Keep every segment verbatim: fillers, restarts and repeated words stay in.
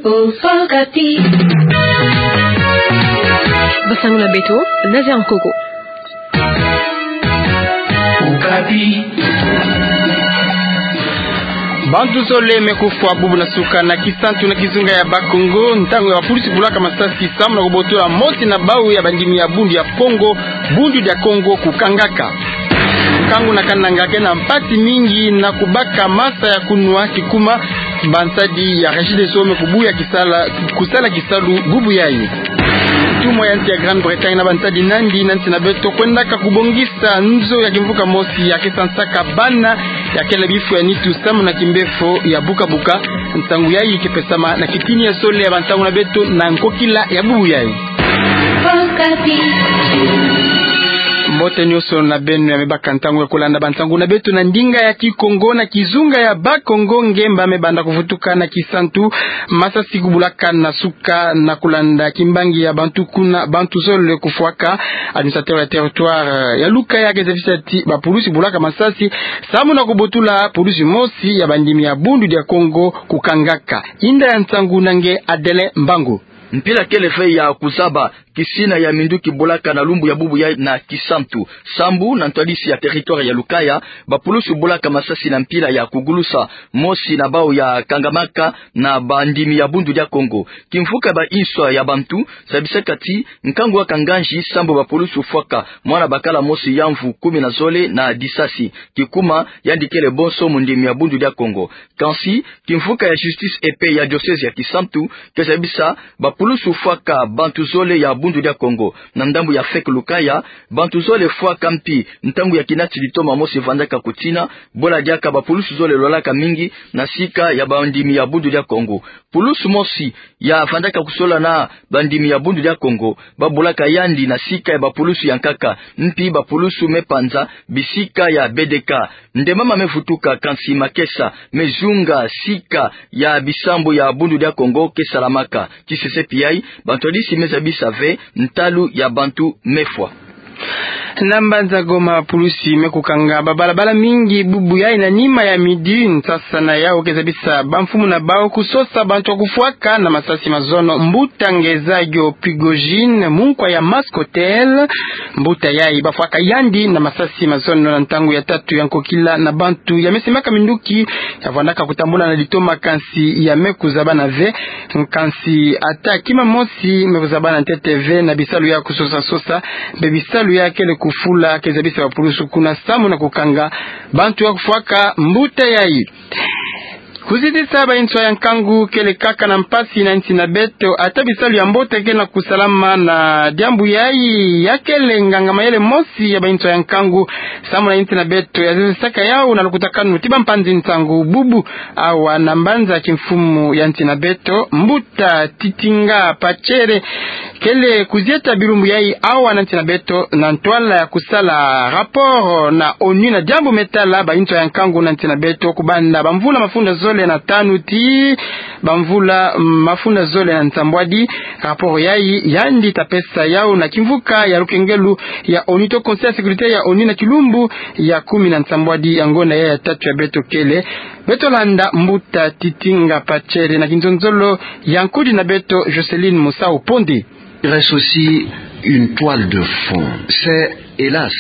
Okapi. Basango na beto, Nazaire Nkoko. Okapi. Bantu zole me kufwa bubu na suka na Kisantu na kizunga ya Bas-Congo, ntangu ya bapulusi bulaka masasi samu na kubotola mosi na bau ya bandimi ya Bundu ya Kongo, Bundu dia Kongo kukangaka. Nkangu na kananga ke na mpasi mingi na kubaka masa ya kunwa, kikuma bansadi ya Regideso me kubuya kisala, kusala kisalu bubu yayi. Ntumwa ya nsi ya Grande-Bretagne na bansadi nandi na nsi na beto kwendaka kubongisa nzo ya kimvuka mosi ya ke sansaka bana ya kele bifu ya nitu samu na kimbefo ya bukabuka. Nsangu yayi ke pesama na kitini ya zole ya bansangu na beto na nkokila ya bubu yayi. Mbote nyonso na beno ya me baka ntangu ya kulanda bansangu na beto na ndinga ya Kikongo na kizunga ya Bas-Congo. Ngemba me banda kuvutuka na Kisantu, masasi kubulaka na suka na kulanda kimbangi ya bantu kuna, bantu zole kufwaka. Administrateur ya territoire ya Lukaya ke zabisa ti bapulusi bulaka masasi samu na kubotula pulusi mosi ya bandimi ya Bundu dia Kongo kukangaka. Inda ya nsangu na nge Adele Mbangu. Mpila kele ve ya kuzaba, kisina ya minduki bulaka na lumbu ya bubu yayi na Kisantu. Sambu na ntwadisi ya territoire ya Lukaya, bapulusi bulaka masasi na mpila ya kugulusa mosi na bau ya kangamaka na bandimi ya Bundu dia Kongo. Kimvuka ba inswa ya bantu zabisaka ti nkangu waka nganzi sambu bapulusi fwaka mwana bakala mosi ya mvu kumi na zole na disasi. Kikuma yandi kele bonso mundimi ya Bundu dia Kongo. Kansi, kimvuka ya justice de paix ya diocèse ya Kisantu ke zabisa bapulusi fwaka bantu zole ya Bundu dia Kongo. Na ndambu ya feke Lukaya, bantu zole fwaka mpi ntangu ya kinati litoma mosi vandaka kutina, bola diaka bapulusi zole lwalaka mingi na sika ya bandimi ya Bundu dia Kongo. Pulusu mosi ya vandaka kusola na bandimi ya Bundu dia Kongo, babulaka yandi na sika ya bapulusu ya nkaka, mpi bapulusu me panza bisika ya B D K. Nde mama me vutuka, kansi makesa me zunga sika ya bisambu ya Bundu dia Kongo ke salamaka. Ti sesepi yayi, bantwadisi me zabisa ve ntalu ya bantu me fwa. Na mbanza Goma, pulusi me kukanga babalabala mingi bubu yayi na nima ya midi, nsasa na yawu ke zabisa bamfumu na bawu kusosa bantu ya kufwaka na masasi mazono mbuta Ngeza Gyo Prigojine, munkwa ya Mask Hotel. Mbuta yayi bafwaka yandi na masasi mazono na ntangu ya tatu ya nkokila na bantu ya me simaka minduki ya vandaka kutambula na litoma, kansi ya me kuzabana ve. Kansi ata kima mosi me kuzabana ntete ve na bisalu ya kusosa-sosa, mpe bisalu ya kele kufula ke zabisa bapulusu kuna samu na kukanga bantu ya kufwaka mbuta yayi. Kuzitisa ba inswa ya nkangu kele kaka na mpasi na insi na beto, ata bisalu ya mbote ke na kusalama na diambu yayi. Ya kele nganga mayele mosi ya ba inswa ya nkangu samu na insi na beto ya zezesaka yawu na lukutakanu ti bampanzi nsangu bubu awa na mbanza kimfumu ya nsi na beto, mbuta Titinga Pachere, kele kuzieta bilumbu yayi awa na nsi na beto na ntwala ya kusala rapport na ONU na diambu me tala ba inswa ya nkangu na nsi na beto, kubanda bamvula mafunda zole na tanu ti bamvula mafunda zole na nsambwadi. Rapport yayi yandi ta pesa yawu na kimvuka ya lukengelu ya ONU to Conseil ya sécurité ya ONU na kilumbu ya kumi na nsambwadi ya ngonda yayi ya tatu ya beto kele. Beto landa mbuta Titinga Pachere na kinzonzolo ya nkudi na beto Jocelyn Musau Ponde. Il reste aussi une toile de fond. C'est, hélas,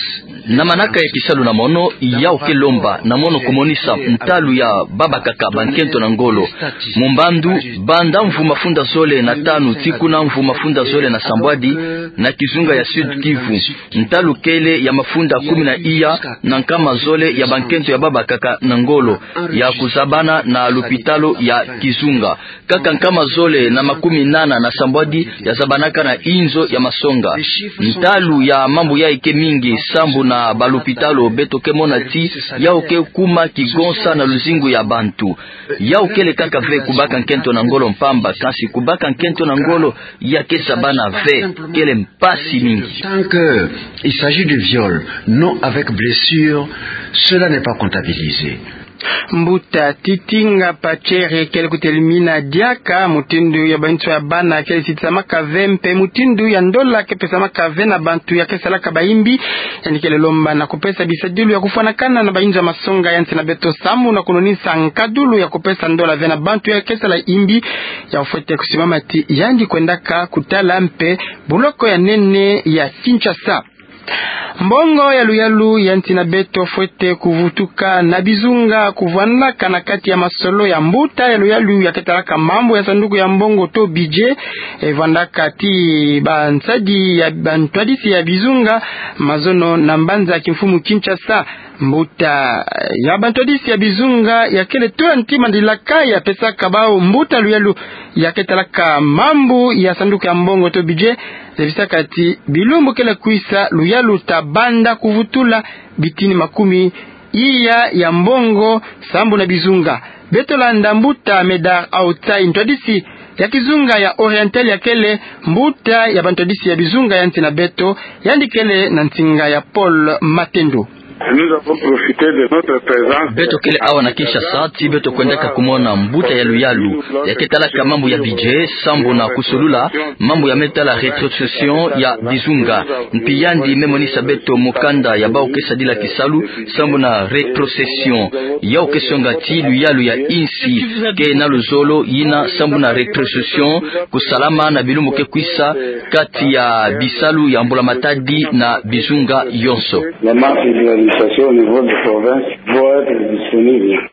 na manaka ya kisalu na mono, yawu ke lomba na mono kumonisa ntalu ya babakaka bankento na ngolo. Mu mbandu, banda mvu mafunda zole na tanu tii kuna mvu mafunda zole na sambwadi, na kizunga ya Sud-Kivu, ntalu kele ya mafunda kumi na iya na nkama zole ya bankento ya babakaka na ngolo ya kuzabana na lupitalu ya kizunga. Kaka nkama zole na makumi nana na sambwadi ya zabanaka na inzo ya masonga. Ntalu ya mambu yayi ke mingi, sambu na balupitalu beto ke mona ti yawu ke kuma kigonsa na luzingu ya bantu. Yawu kele kaka ve kubaka nkento na ngolo mpamba, kansi kubaka nkento na ngolo ya ke zabana ve, kele mpasi mingi. Tant que il s'agit de viol, non avec blessure, cela n'est pas comptabilisé. Mbuta Titinga Pachere kele kutelimina diaka mutindu ya banswa ya bana kele sitisamaka ve mpe mutindu ya ndola ke pesamaka ve na bantu ya ke salaka bayimbi. Yandi kele lomba na kupesa bisadilu ya kufwanakana na bayinzo ya masonga ya nsi na beto samu na kunonisa nkadulu ya kupesa ndola ve na bantu ya ke sala yimbi. Ya fwete kusimama ti yandi kwendaka kutala mpe buloko ya nene ya Kinshasa. Mbongo ya luyalu ya nsi na beto fwete kuvutuka na bizunga kuvwandaka na kati ya masolo ya mbuta ya luyalu ya ke talaka mambu ya sanduku ya mbongo to budget. E vwandaka ti bansadi ya bantwadisi ya bizunga mazono na mbanza kimfumu Kinshasa. Mbuta ya bantwadisi ya bizunga ya kele tula nti mandilaka ya pesaka bau mbuta luyalu ya ke talaka mambu ya sanduku ya mbongo to budget. Zabisaka ti bilumbu kele kwisa luyalu ta banda kuvutula bitini makumi iya ya mbongo sambu na bizunga. Beto landa mbuta Medard Aotsai, ntwadisi ya kizunga ya Oriental, ya kele mbuta ya bantwadisi ya bizunga ya nsi na beto, yandi kele na nsinga ya Paul Matendo. Nous avons profité de notre présence. Beto kele awa na Kinshasa ti beto kwendaka kumona mbuta ya luyalu ya ke talaka mambu ya budget sambu na kusolula mambu ya me tala rétrocession ya bizunga. Mpi yandi me monisa beto mukanda ya bau ke sadila kisalu sambu na rétrocession. Yau ke songa ti luyalu ya insi ke na luzolo yina sambu na rétrocession kusalama na bilumbu ke kwisa kati ya bisalu ya mbulamatadi na bizunga yonso. Les marches de réalisation au niveau de province vont être disponibles.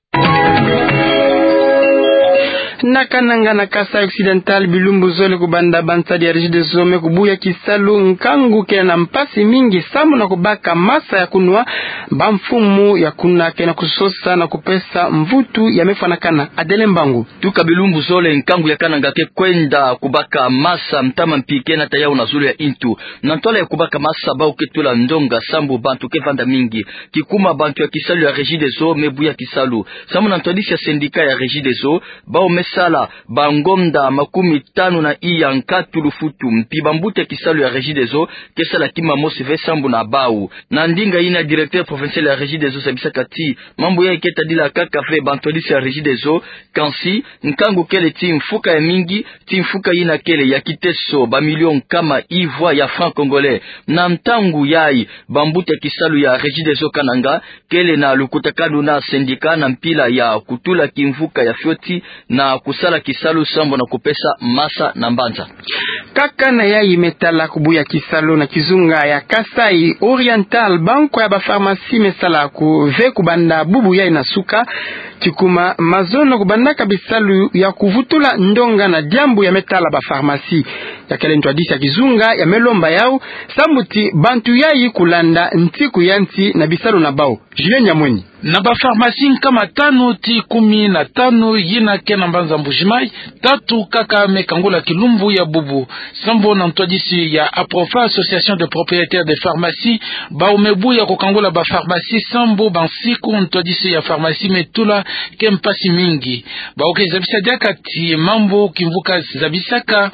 Na Kananga na Kasaï Occidental, bilumbu zole kubanda bansadi ya Regideso me kubuya kisalu, nkangu ke na mpasi mingi sambu na kubaka masa ya kunwa. Bamfumu ya kuna ke na kusosa na kupesa mvutu ya me fwanakana. Adele Mbangu. Tuka bilumbu zole, nkangu ya Kananga ke kwenda kubaka masa, ntama mpi ke nata yau na zulu ya intu. Na ntwala ya kubaka masa, bau ke tula ndonga sambu bantu ke vanda mingi. Kikuma, bantu ya kisalu ya Regideso me buya kisalu. Sambu na ntwadisi ya syndicat ya Regideso, bau me sala bangonda makumi tanu na iya nkatu lufutu, mpi bambuta ya kisalu ya Regideso ke sala kima mosi ve sambu na bau. Na ndinga yina, directeur provincial ya Regideso zabisaka ti mambu yayi ke tadila kaka ve bantwadisi ya Regideso, kansi nkangu kele ti mfuka ya mingi, ti mfuka yina kele ya kiteso bamilio nkama ivwa ya francs congolais. Na ntangu yayi, bambuta ya kisalu ya Regideso Kananga kele na lukutakanu na syndicat na mpila ya kutula kimvuka ya fioti na kusala kisalu sambu na kupesa masa na mbanza. Kaka na yayi me tala kubuya kisalu na kizunga ya Kasaï Oriental, bankwa ya bapharmacie me sala ku-, ve kubanda bubu yayi na suka. Kikuma, mazono kubandaka bisalu ya kuvutula ndonga na diambu ya me tala bapharmacie. Ya kele ntwadisi ya kizunga ya me lomba yau sambu ti bantu yayi kulanda ntiku ya nti na bisalu na bau. Julien Nyamweni. Na bapharmacie nkama tanu ti kumi na tanu yina ke na mbanza Mbuji-Mayi, tatu kaka me kangula kilumbu ya bubu. Sambu na ntwadisi ya APROPHA, Association de Propriétaires de Pharmacie, bau me buya kukangula bapharmacie sambu bansiku ntwadisi ya pharmacie me tula ke mpasi mingi. Bau ke zabisa diaka ti mambu kimvuka zabisaka,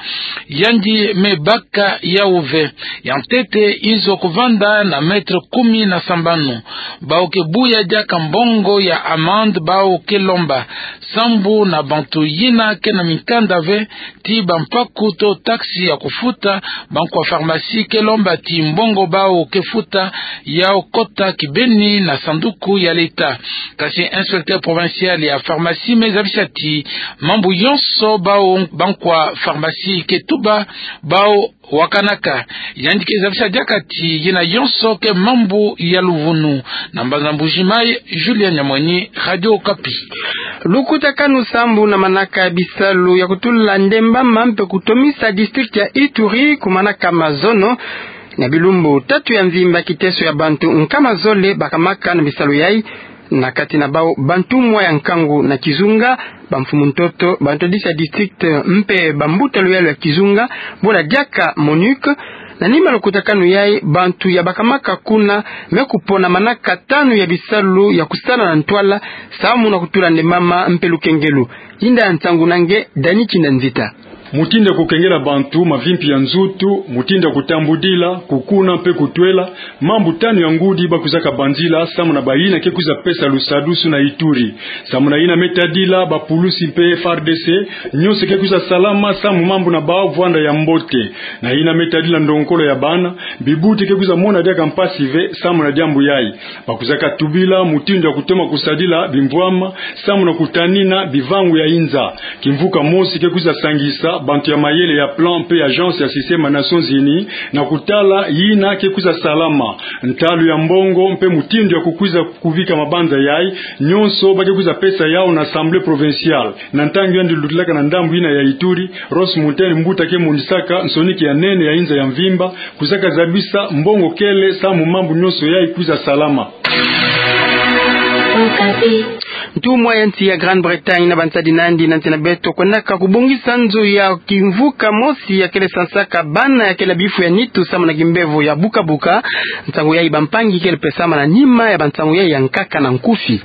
yandi me baka yau ve. Ya ntete, izo kuvanda na mètre kumi na sambanu. Bau ke buya diaka mbongo ya amende bau ke lomba. Sambu na bantu yina ke na mikanda ve ti bampaku to taxe ya kufuta, bankwa pharmacie ke lomba ti mbongo bau ke futa yau kota kibeni na sanduku ya leta. Kasi inspecteur provincial ya pharmacie me zabisa ti mambu yonso bau bankwa pharmacie ke tuba, bau wakanaka. Yandi ke zabisa diaka ti yina yonso ke mambu ya luvunu. Na mbanza Mbuji-Mayi, Julien Nyamweni, Radio Okapi. Lukutakanu sambu na manaka ya bisalu ya kutula ndembama mpe kutomisa district ya Ituri kumanaka mazono. Na bilumbu tatu ya mvimba, kiteso ya bantu nkama zole bakamaka na bisalu yayi. Na kati na bau, bantumwa ya nkangu na kizunga, bamfumu ntoto, bantwadisi ya district mpe bambuta luyalu ya kizunga, bola diaka MONUC. Na nima lukutakanu yayi, bantu ya bakamaka kuna me kupona manaka tanu ya bisalu ya kusala na ntwala, samu na kutula ndembama mpe lukengelo. Yinda ya nsangu na nge, Dani Kinda Nzita. Mutindu ya kukengela bantu mavimpi ya nzutu, mutindu ya kutambudila, kukuna mpe kutwela, mambu tanu ya ngudi ba kwizaka banzila samu na bayina ke kwiza pesa lusadusu na Ituri. Samu na yina me tadila bapulusi mpe F A R D C, nyonso ke kwiza salama samu mambu na bawu vwanda ya mbote. Na yina me tadila ndongokolo ya bana, bibuti ke kwiza mona diaka mpasi ve samu na diambu yayi. Ba kwizaka tubila mutindu ya kutoma kusadila bimvwama samu na kutanina bivangu ya inza. Kimvuka mosi ke kwiza sangisa bantu ya mayele ya plan mpe agence ya système ya Nations Unies na kutala yina ke kwiza salama, ntalu ya mbongo mpe mutindu ya kukwiza kubika mabanza yayi, nyonso ba ke kwiza pesa yawu na Assemblée provinciale. Na ntangu yandi lutilaka na ndambu yina ya Ituri, Ross Munteni, mbuta ke monisaka nsoniki ya nene ya inza ya mvimba, kwizaka zabisa mbongo kele samu mambu nyonso yayi kwiza salama. Ntumwa ya nsi ya Grande-Bretagne na bansadi nandi na nsi na beto kwendaka kubongisa nzo ya kimvuka mosi ya kele sansaka bana ya kele bifu ya nitu samu na kimbevo ya buka-buka. Nsangu yayi bampangi kele pesama na nima ya bansangu yayi ya nkaka na nkufi.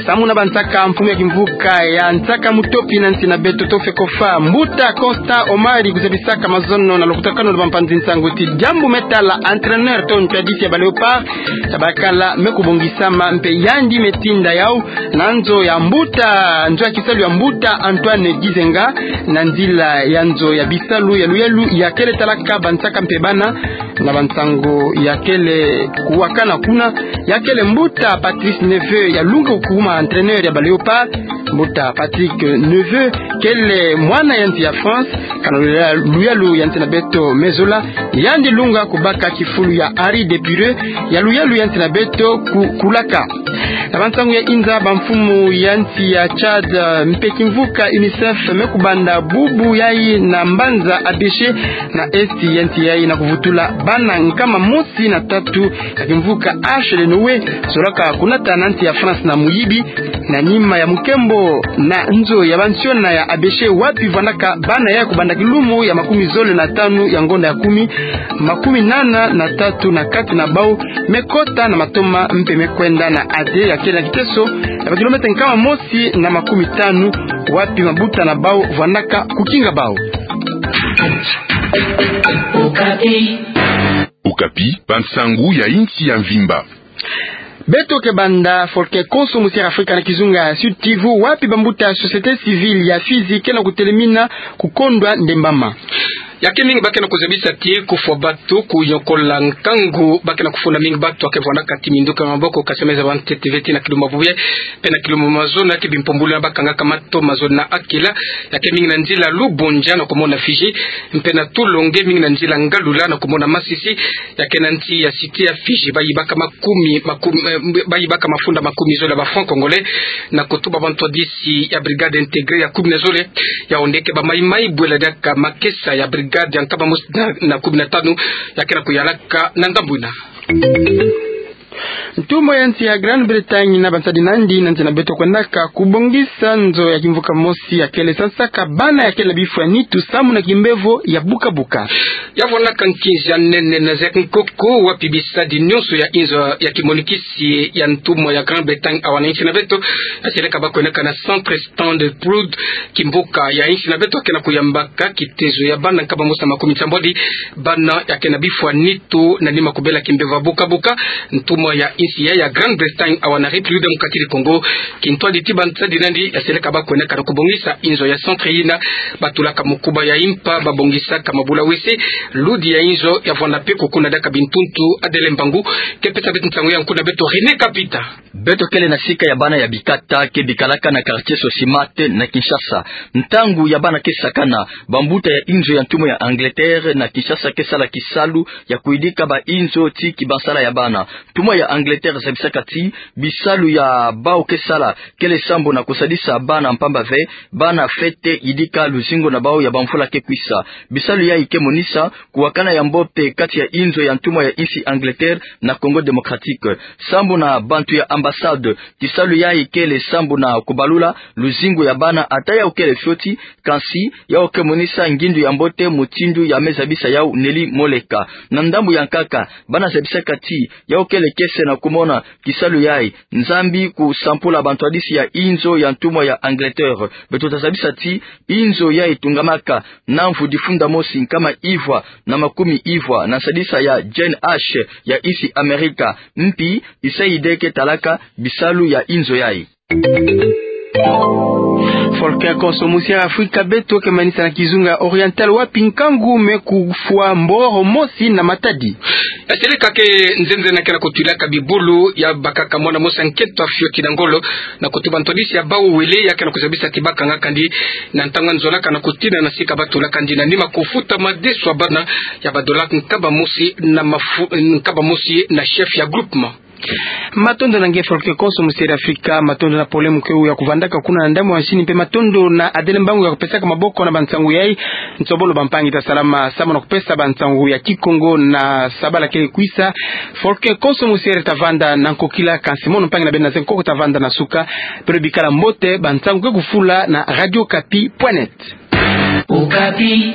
Samu na bansaka mfumu ya kimvuka ya nsaka mutopi na nsi na beto, to FECOFA, mbuta Constant Omari, kuzabisaka mazono na lukutakanu lwa bampanzi nsangu ti diambu me tala entraîneur to ntwadisi ya ba Léopards ya bakala me kubongisama mpe yandi me tinda yawu na nzo ya mbuta, nzo ya kisalu ya mbuta Antoine Gizenga, na nzila ya nzo ya bisalu ya luyalu ya kele talaka bansaka mpe bana. Na bansangu ya kele kuwakana kuna, ya kele mbuta Patrice Neveu ya lunga kukuma entraîneur ya ba Léopards. Mbuta Patrick Neveu kele mwana ya nsi ya France, kana luya-, luyalu ya nsi na beto me zola, yandi lunga kubaka kifulu ya Harry Depire ya luyalu ya nsi na beto ku-, kulaka. Na bansangu ya inza, bamfumu ya nsi ya Tchad, eh, mpe kimvuka UNICEF me kubanda bubu yayi na mbanza Abéché na est ya nsi yayi na kuvutula bana nkama mosi na tatu ya kimvuka Arche de Noé zolaka kunata na nsi ya France na muyibi, na nima ya mukembo na nzo ya bansiona ya Abéché wapi vwandaka bana ya kubanda kilumu ya makumi zole na tanu ya ngonda ya kumi, makumi nana na tatu na kati na bawu me kota na matoma mpe me kwenda na ate ya kele na kiteso ya ba kilomètre nkama mosi na makumi tanu, wapi mabuta na bawu vwandaka kukinga bawu. Okapi, bansangu ya insi ya mvimba. Beto ke banda folke konso mu Sierra Afrika na kizunga Sud Kivu, wapi bambuta ya société civile ya Fidji ke na kutelemina kukondwa ndembama. Ya ke mingi ba ke na kuzabisa ti kufwa bato, kuyokola nkangu, ba ke na kufunda mingi bato ya ke vwandaka ti minduka maboko, kasi me zaba ntete ve ti na kilumbu ya bubu yayi, mpe na kilumbu ya mazono ya ke bimpumbulu na ba kangaka mato mazono na akila, ya ke mingi na nzila Lubondja na kumona Fidji, mpe na Tulonge, mingi na nzila Ngalula na kumona Masisi, ya ke na nsi ya Cité ya Fidji, ba yibaka makumi, makumi, eh, ba yibaka mafunda makumi zole ya ba francs congolais, na kutuba bantwadisi ya brigade intégrée ya kumi na zole, yawu nde ke ba mayi-mayi bwela diaka makesa ya brigade ya nkama mosi na, na kumi na tanu, ya ke na kuyalaka na ngambu yina. Ntumwa ya nsi ya Grande-Bretagne na bansadi nandi na nsi na beto kwendaka kubongisa nzo ya kimvuka mosi ya kele sansaka bana ya kele na bifu ya nitu samu na kimbevo ya buka-buka. Ya vwandaka nkinzi ya nene na zeke nkoko, wapi bisadi nyonso ya inzo ya kimonikisi ya ntumwa ya Grande-Bretagne awa na insi na beto, ya seleka ba kwendaka na Centre Stanley Proud, kimvuka ya insi na beto ke na kuyambaka kitezo ya bana nkama mosi na makumi nsambwadi, bana ya ke na bifu ya nitu na nima kubela kimbevo ya buka-buka. Ntumwa ya insi ya, ya Grande-Bretagne awa na République démocratique du Congo kintwadi ti bansadi nandi ya seleka ba kwendaka na kubongisa inzo ya centre yina ba tulaka mukuba ya impa, ba bongisaka mabula wese. Ludi ya inzo ya vwanda mpe kukuna diaka bintuntu. Adèle Mbangu ke pesa beto nsangu ya nkunga, beto René Kapita. Beto kele na sika ya bana ya bikata ke bikalaka na quartier Sosimat na Kinshasa. Ntangu ya bana ke sakana, bambuta ya inzo ya ntumwa ya Angleterre na Kinshasa ke sala kisalu ya kuyidika ba inzo ti kibansala ya bana. Ntumwa ya Angleterre zabisaka ti bisalu ya bawu ke sala kele sambu na kusadisa bana mpamba ve bana fwete yidika luzingu na bawu ya bamvula ke kwisa. Bisalu yayi ke monisa kuwakana ya mbote kati ya inzo ya ntumwa ya insi Angleterre na Congo Démocratique. Sambu na bantu ya ambassade, kisalu yayi kele sambu na kubalula luzingu ya bana, ata yawu kele fioti, kansi yawu ke monisa ngindu ya mbote mutindu ya me zabisa yawu neli moleka. Na ndambu ya nkaka, bana zabisaka ti yawu kele kiese na kumona kisalu yai. Nzambi kusampula bantwadisi ya inzo ya ntumwa ya Angleterre. Beto tazabisa ti inzo yai tungamaka na mvu difunda mosi nkama ivwa na makumi ivwa na nsadisa ya Jane Ash ya isi Amerika. Mpi isa ide ke talaka bisalu ya inzo yai. Volker Konso, musi ya Afrika, beto ke manisa na kizunga Oriental wapi nkangu me kufwa mboro mosi na matadi. Yasele kake nzenze na kena kutwilaka bibulu ya bakaka mwana mosi ya nkento ya fioti na ngolo na kutuba ntwadisi ya bau wele ya kena kuzabisa ti bakanga kandi na ntangu nzolaka na kutina na sika batulaka ndi na nima kufuta madesu ya bana ya badola nkaba mosi na mafu-, nkaba mosi na chef ya groupement. Matondo na nge Volker Konso, musi ya Afrika, matondo na pole muke u ya kuvandaka kuna na ndambu ya nsini mpe matondo na Adele Mbangu ya kupesaka maboko na bansangu yai. Nsobolo bampangi, tasalama samu na kupesa bansangu ya Kikongo na sabala kele kwisa. Volker Konso, musi ya, tavanda na nkokila, kansi mono mpangi na beno na ze nkoko tavanda na suka. Beno bikala mbote, bansangu ke kufula na radio okapi point net. Okapi.